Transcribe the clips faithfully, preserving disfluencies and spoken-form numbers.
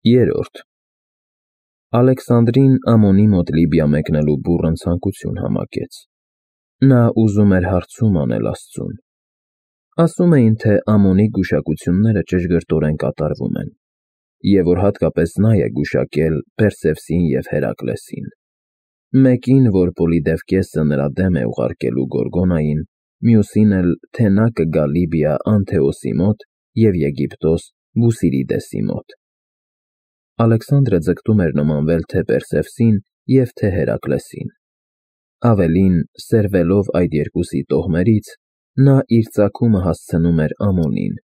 Երրորդ Ալեքսանդրին Ամոնի մոտ Լիբիա մեկնելու բուռն ցանկություն համակեց. նա ուզում էր հարցում անել աստծուն։ Ասում էին, թե Ամոնի գուշակությունները ճշգրտորեն կատարվում են, և որ հատկապես նա է գուշակել Պերսևսին և Հերակլեսին, մեկին, որ Պոլիդևկեսը նրա դեմ է ուղարկելու Գորգոնային, մյուսին էլ, թե նա կգա Լիբիա Անթեոսի մոտ և Եգիպտոս Բուսիրիդեսի մոտ։ Ալեքսանդրը ձգտում էր նմանվել թե Պերսևսին և թե Հերակլեսին։ Ավելին, սերվելով այդ երկուսի տոհմերից, նա իր ծագումը հասցնում էր Ամոնին,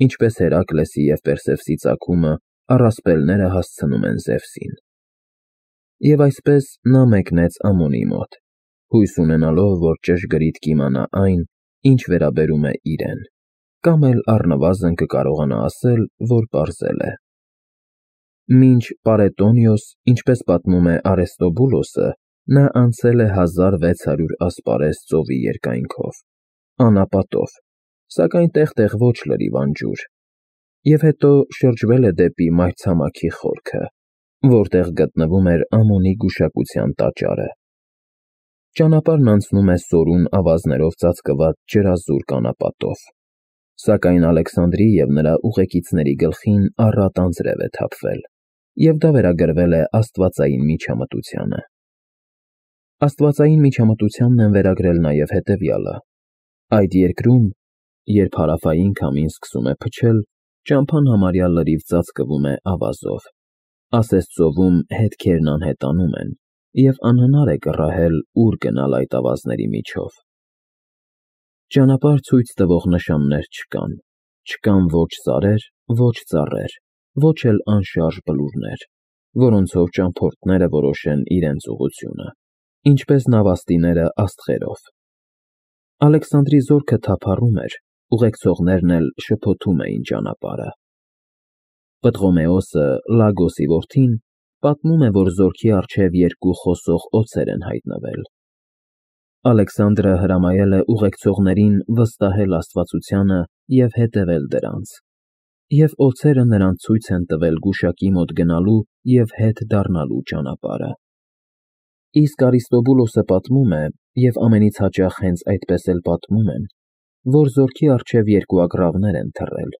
ինչպես Հերակլեսի և Պերսևսի ծագումը առասպելները հասցնում են Զևսին։ Եվ այսպես նա մեկնեց Ամոնի մոտ, հույս ունենալով, որ ճշգրիտ կիմանա այն, ինչ վերաբերում է իրեն, կամ էլ առնվազն կկարողանա ասել, որ պարզել է։ Մինչ Պարետոնիոս, ինչպես պատմում է Արեստոբուլոսը, նա անցել է հազար վեց հարյուր ասպարեզ ծովի երկայնքով, անապատով, սակայն տեղ֊տեղ ոչ լրիվ անջուր, և հետո շրջվել է դեպի մայրցամաքի խորքը, որտեղ գտնվում էր Ամոնի գուշակության տաճարը։ Ճանապարհն անցնում է սորուն ավազներով ծածկված ջրազուրկ անապատով, սակայն Ալեքսանդրի և նրա ուղեկիցների գլխին առատ անձրև է թափվել, և դա վերագրվել է աստվածային միջամտությանը։ Աստվածային միջամտությանն են վերագրել նաև հետևյալը. այդ երկրում, երբ հարավային քամին սկսում է փչել, ճամփան համարյա լրիվ ծածկվում է ավազով, ասես ծովում հետքերն անհետանում են, և անհնար է կռահել, ուր գնալ այդ ավազների միջով։ Ճանապարհ ցույց տվող նշաններ չկան, չկան ոչ սարեր, ոչ ծառեր, ոչ էլ անշարժ բլուրներ, որոնցով ճամփորդները որոշեն իրենց ուղղությունը, ինչպես նավաստիները աստղերով։ Ալեքսանդրի զորքը թափառում էր, ուղեկցողներն էլ շփոթում էին ճանապարհը։ Պտղոմեոսը, Լագոսի որդին, պատմում է, որ զորքի առջև երկու խոսող օձեր են հայտնվել։ Ալեքսանդրը հրամայել է ուղեկցողներին վստահել աստվածությանը և հետևել դրանց, և օձերը նրանց ցույց են տվել գուշակի մոտ գնալու և հետ դառնալու ճանապարհը։ Իսկ Արիստոբուլոսը պատմում է, և ամենից հաճախ հենց այդպես էլ պատմում են, որ զորքի առջև երկու ագռավներ են թռել,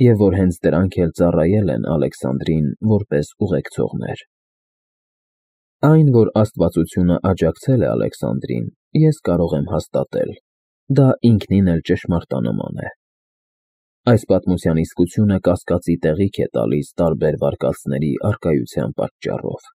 և որ հենց դրանք էլ ծառայել են Ալեքսանդրին որպես ուղեկցողներ։ Այն, որ աստվածությունը աջակցել է Ալեքսանդրին, ես կարող եմ հաստատել, դա ինքնին էլ ճշմարտանման է։ Այս պատմության իսկությունը կասկածի տեղիք է տալիս տարբեր վարկածների առկայության պատճառով։